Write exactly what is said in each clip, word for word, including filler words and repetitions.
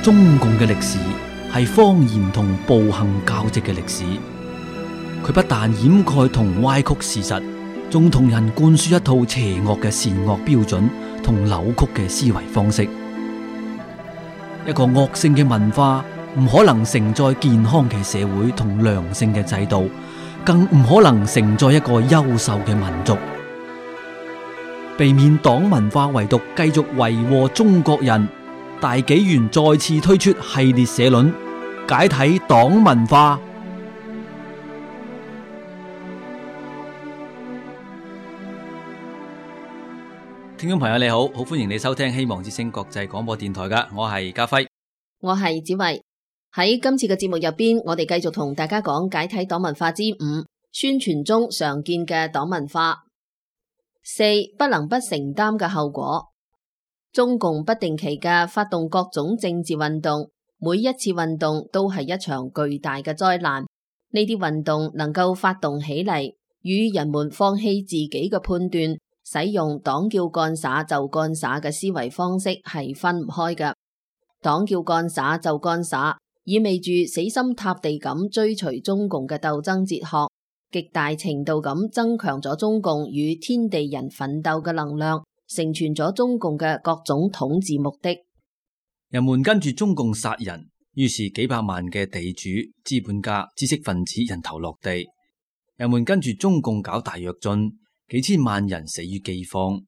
中共嘅歷史係謊言同暴行交織嘅歷史。佢不但掩蓋同歪曲事實，仲同人灌輸一套邪惡嘅善惡標準同扭曲嘅思維方式。一個惡性嘅文化唔可能承載健康嘅社會同良性嘅制度，更唔可能承載一個優秀嘅民族。避免黨文化遺毒繼續為禍中國人，大紀元再次推出系列社論，解體黨文化。聽眾朋友你好，好歡迎你收聽希望之聲國際廣播電台噶，我係家輝，我係子慧。喺今次嘅節目入邊，我哋繼續同大家講解體黨文化之五，宣傳中常見嘅黨文化。四、不能不承擔嘅後果。中共不定期嘅發動各種政治運動，每一次運動都係一場巨大嘅災難。呢啲運動能夠發動起嚟，與人們放棄自己嘅判斷，使用黨叫幹啥就幹啥嘅思維方式係分唔開嘅。黨叫幹啥就幹啥，意味住死心塌地咁追隨中共嘅鬥爭哲學，極大程度咁增強咗中共與天地人奮鬥嘅能量，成全咗中共嘅各種統治目的。人們跟住中共殺人，於是幾百萬嘅地主、資本家、知識分子人頭落地。人們跟住中共搞大躍進，幾千萬人死於饑荒。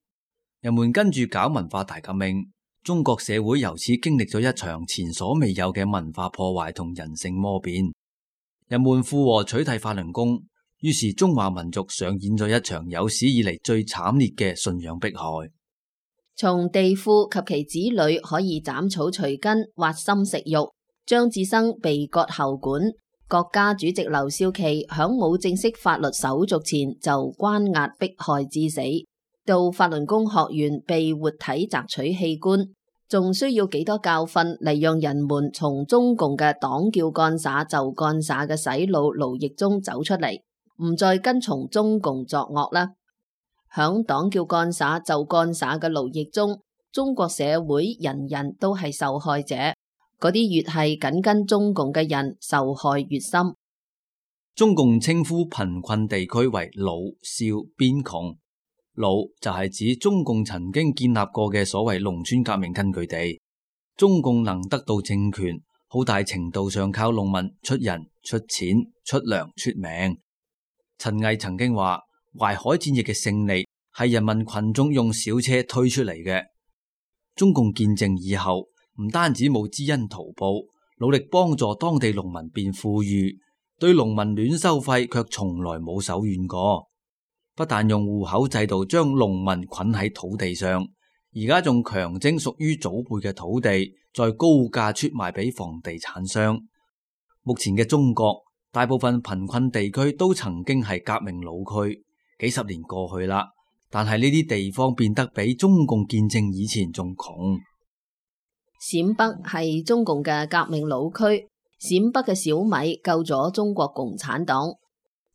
人們跟住搞文化大革命，中國社會由此經歷咗一場前所未有嘅文化破壞同人性魔變。人們附和取締法輪功，於是中華民族上演咗一場有史以嚟最慘烈嘅信仰迫害。從地富及其子女可以斬草除根、挖心食肉，張志生被割喉管，國家主席劉少奇響冇正式法律手續前就關押迫害致死，到法輪功學員被活體摘取器官，仲需要幾多教訓嚟讓人們從中共嘅黨叫幹啥就幹啥嘅洗腦奴役中走出嚟，唔再跟從中共作惡啦。響黨叫幹啥就幹啥嘅奴役中，中國社會人人都係受害者，嗰啲越係緊跟中共嘅人，受害越深。中共稱呼貧困地區為老少邊窮，老就係指中共曾經建立過嘅所謂農村革命根據地。中共能得到政權，好大程度上靠農民出人、出錢、出糧、出命。陳毅曾經話，淮海戰役嘅勝利係人民群眾用小車推出嚟嘅。中共建政以後，唔單止冇知恩圖報，努力幫助當地農民變富裕，對農民亂收費卻從來冇手軟過。不但用戶口制度將農民捆喺土地上，而家仲強徵屬於祖輩嘅土地，再高價出賣俾房地產商。目前嘅中國，大部分貧困地區都曾經係革命老區，幾十年過去啦，但係呢啲地方變得比中共建政以前仲窮。陝北係中共嘅革命老區，陝北嘅小米救咗中國共產黨。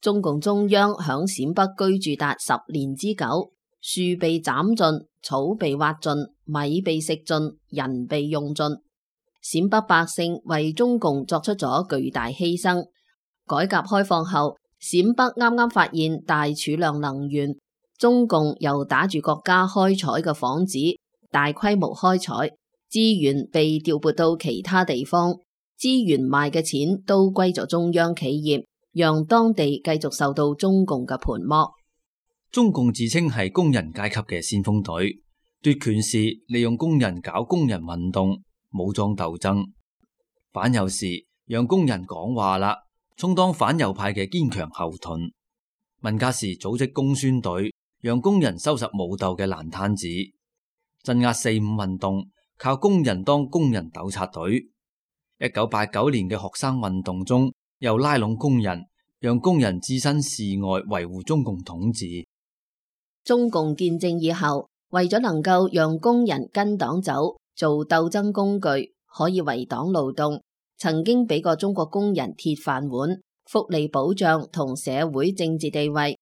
中共中央響陝北居住達十年之久，樹被斬盡，草被挖盡，米被食盡，人被用盡。陝北百姓為中共作出咗巨大犧牲。改革開放後，陝北啱啱發現大儲量能源，中共又打住國家開採嘅幌子，大規模開採，資源被調撥到其他地方，資源賣嘅錢都歸咗中央企業，讓當地繼續受到中共嘅盤剝。中共自稱係工人階級嘅先鋒隊，奪權時利用工人搞工人運動、武裝鬥爭，反右時讓工人講話啦，充當反右派嘅堅強後盾。文革時組織工宣隊，讓工人收拾武鬥嘅爛攤子。鎮壓四五運動，靠工人當工人糾察隊。一九八九年嘅學生運動中，又拉攏工人，讓工人置身事外，維護中共統治。中共建政以後，為咗能夠讓工人跟黨走，做鬥爭工具，可以為黨勞動，曾經俾過中國工人鐵飯碗、福利保障同社會政治地位。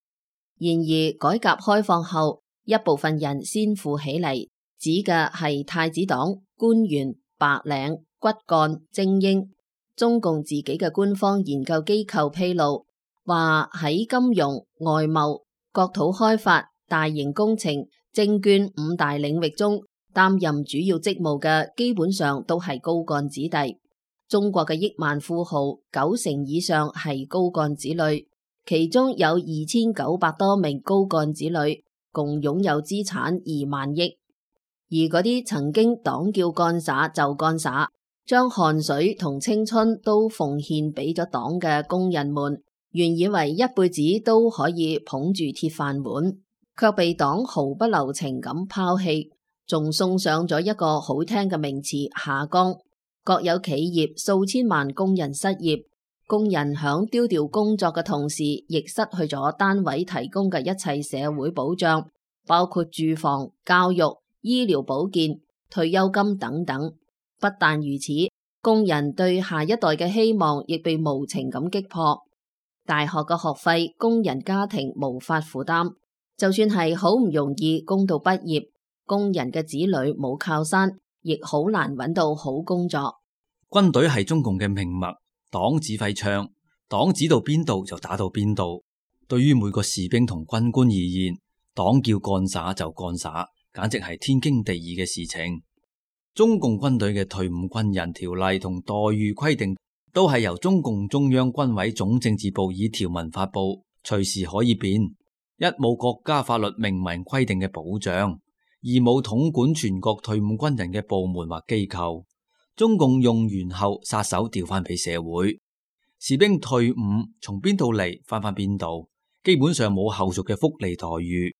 然而改革開放後，一部分人先富起嚟，指嘅係太子黨、官員、白領、骨幹精英。中共自己嘅官方研究機構披露，話喺金融、外貿、國土開發、大型工程、證券五大領域中，擔任主要職務嘅基本上都係高幹子弟。中國嘅億萬富豪九成以上係高幹子女，其中有二千九百多名高幹子女，共擁有資產二萬億。而嗰啲曾經黨叫幹灑就幹灑，將汗水同青春都奉獻俾咗黨嘅工人們，原以為一輩子都可以捧住鐵飯碗，卻被黨毫不留情咁拋棄，仲送上咗一個好聽嘅名詞下崗。國有企業數千萬工人失業，工人響丟掉工作嘅同時，亦失去咗單位提供嘅一切社會保障，包括住房、教育、醫療保健、退休金等等。不但如此，工人對下一代嘅希望亦被無情咁擊破。大學嘅學費，工人家庭無法負擔，就算係好唔容易供到畢業，工人嘅子女冇靠山，亦好難揾到好工作。軍隊係中共嘅命脈，黨指揮槍，黨指到邊度就打到邊度。對於每個士兵同軍官而言，黨叫幹灑就幹灑，簡直係天經地義嘅事情。中共軍隊嘅退伍軍人條例同待遇規定，都係由中共中央軍委總政治部以條文發布，隨時可以變。一冇國家法律明文規定嘅保障，二冇統管全國退伍軍人嘅部門或機構，中共用完後撒手調翻俾社會。士兵退伍從邊度嚟翻返邊度，基本上冇後續嘅福利待遇。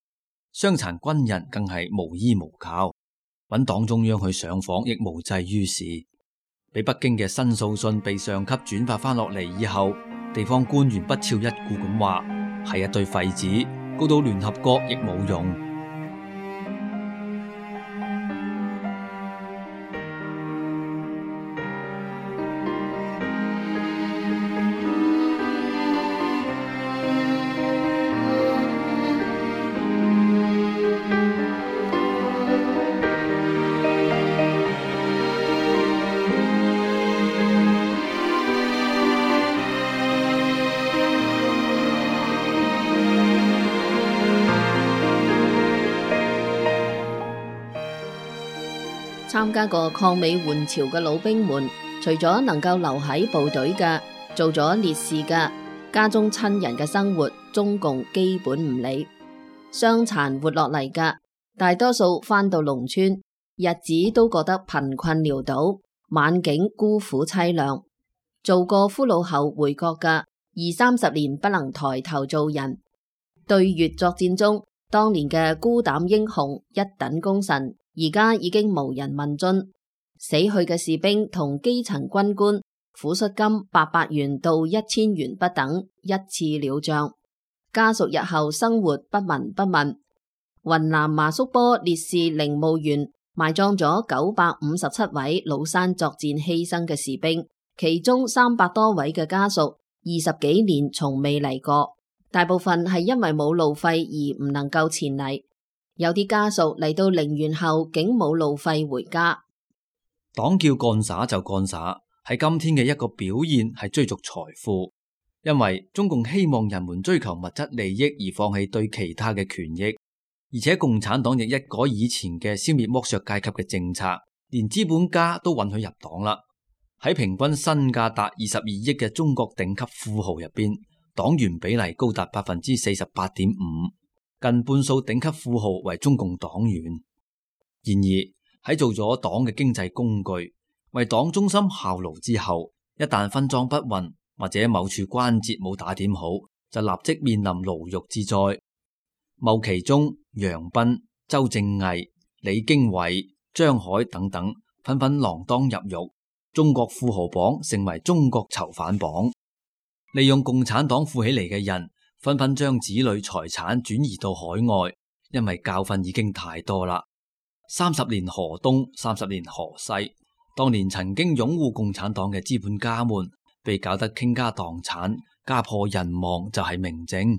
傷殘軍人更係無依無靠，揾黨中央去上訪亦無濟於事。俾北京嘅申訴信被上級轉發翻落嚟以後，地方官員不屑一顧咁話係一堆廢紙，告到聯合國亦冇用。參加過抗美援朝嘅老兵們，除咗能夠留喺部隊嘅，做咗烈士嘅，家中親人嘅生活，中共基本唔理。傷殘活落嚟嘅，大多數返到農村，日子都過得貧困潦倒，晚景孤苦淒涼。做過俘虜後回國嘅，二三十年不能抬頭做人。對越作戰中，當年嘅孤膽英雄、一等功臣，而家已經無人問津。死去嘅士兵同基層軍官，撫恤金八百元到一千元不等，一次了賬。家屬日後生活不聞不問。雲南麻叔坡烈士陵墓園埋葬咗九百五十七位老山作戰犧牲嘅士兵，其中三百多位嘅家屬二十幾年從未嚟過，大部分係因為冇路費而唔能夠前嚟。有啲家屬嚟到陵園後竟冇路費回家。黨叫幹灑就幹灑，喺今天嘅一個表現係追逐財富，因為中共希望人們追求物質利益而放棄對其他嘅權益，而且共產黨亦一改以前嘅消滅剝削階級嘅政策，連資本家都允許入黨啦。喺平均身價達二十二億嘅中國頂級富豪入邊，黨員比例高達百分之四十八點五。近半數頂級富豪為中共黨員。然而喺做咗黨嘅經濟工具，為黨中心效勞之後，一旦分贓不勻或者某處關節冇打點好，就立即面臨牢獄之災。牟其中、楊斌、周正毅、李經緯、張海等等紛紛鋃鐺入獄，中國富豪榜成為中國囚犯榜。利用共產黨富起嚟嘅人，紛紛將子女財產轉移到海外，因為教訓已經太多啦。三十年河東，三十年河西。當年曾經擁護共產黨嘅資本家們，被搞得傾家蕩產、家破人亡，就係明證。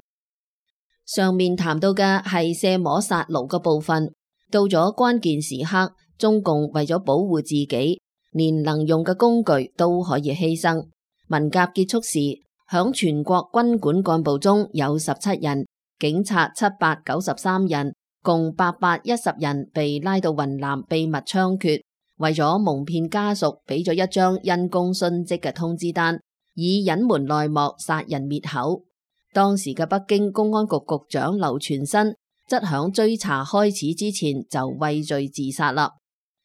上面談到嘅係卸磨殺奴嘅部分，到咗關鍵時刻，中共為咗保護自己，連能用嘅工具都可以犧牲。文革結束時，響全國軍管幹部中有十七人，警察七百九十三人，共八百一十人被拉到雲南秘密槍決。為咗蒙騙家屬，俾咗一張因公殉職嘅通知單，以隱瞞內幕，殺人滅口。當時嘅北京公安局局長劉全新則響追查開始之前就畏罪自殺啦。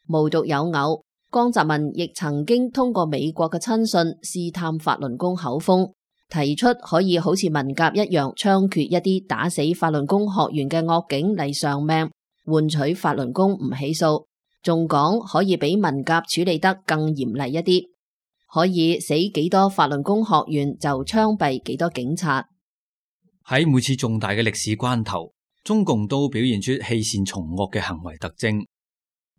無獨有偶，江澤民亦曾經通過美國嘅親信試探法輪功口風，提出可以好似文革一樣槍決一啲打死法輪功學員嘅惡警嚟償命，換取法輪功唔起訴，仲講可以比文革處理得更嚴厲一啲，可以死幾多法輪功學員就槍斃幾多警察。喺每次重大嘅歷史關頭，中共都表現出棄善從惡嘅行為特徵。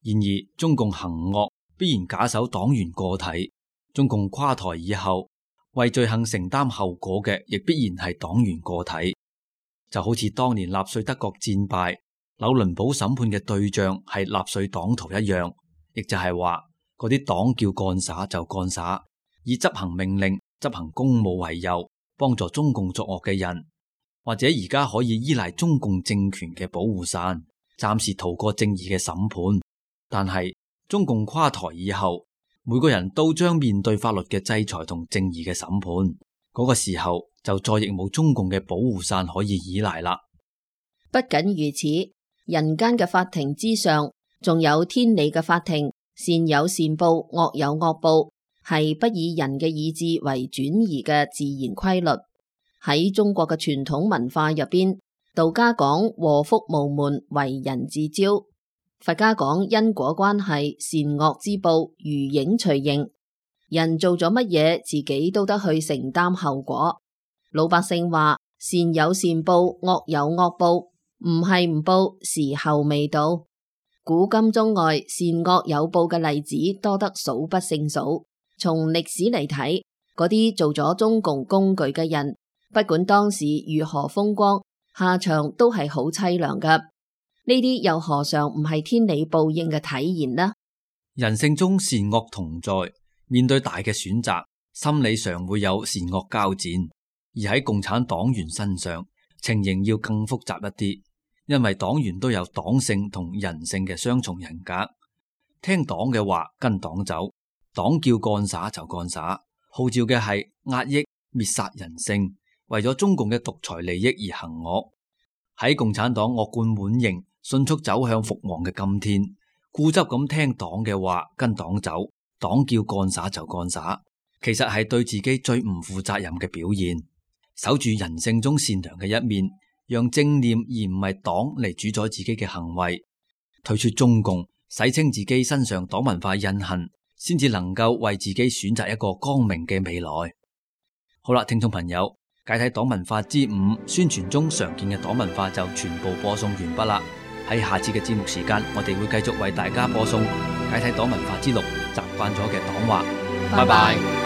然而，中共行惡必然假手黨員個體，中共垮台以後，為罪行承擔後果嘅亦必然係黨員個體。就好似當年納粹德國戰敗，紐倫堡審判嘅對象係納粹黨徒一樣，亦就係話嗰啲黨叫幹灑就幹灑，以執行命令、執行公務為由，幫助中共作惡嘅人。或者而家可以依賴中共政權嘅保護傘，暫時逃過正義嘅審判。但係中共垮台以後，每個人都將面對法律嘅制裁同正義嘅審判。嗰個時候就再亦冇中共嘅保護傘可以依賴啦。不僅如此，人間嘅法庭之上，仲有天理嘅法庭，善有善報，惡有惡報，係不以人嘅意志為轉移嘅自然規律。喺中國嘅傳統文化入邊，道家講禍福無門，為人自招；佛家講因果關係，善惡之報，如影隨形。人做咗乜嘢，自己都得去承擔後果。老百姓話善有善報，惡有惡報，唔係唔報，時候未到。古今中外，善惡有報嘅例子多得數不勝數。從歷史嚟睇，嗰啲做咗中共工具嘅人，不管當時如何風光，下場都係好淒涼㗎。呢啲又何嘗唔係天理報應嘅體現呢？人性中善惡同在，面對大嘅選擇，心理上會有善惡交戰。而喺共產黨員身上，情形要更複雜一啲，因為黨員都有黨性同人性嘅雙重人格。聽黨嘅話，跟黨走，黨叫幹灑就幹灑，號召嘅係壓抑滅殺人性，為咗中共嘅獨裁利益而行惡。喺共產黨惡貫滿盈、迅速走向覆亡嘅今天，固執咁聽黨嘅話，跟黨走，黨叫幹灑就幹灑，其實係對自己最唔負責任嘅表現。守住人性中善良嘅一面，讓正念而唔係黨嚟主宰自己嘅行為，退出中共，洗清自己身上黨文化印痕，先至能夠為自己選擇一個光明嘅未來。好啦，聽眾朋友，解體黨文化之五，宣傳中常見嘅黨文化就全部播送完畢啦。喺下次嘅節目時間，我哋會繼續為大家播送解體黨文化之六，習慣咗嘅黨話。拜拜。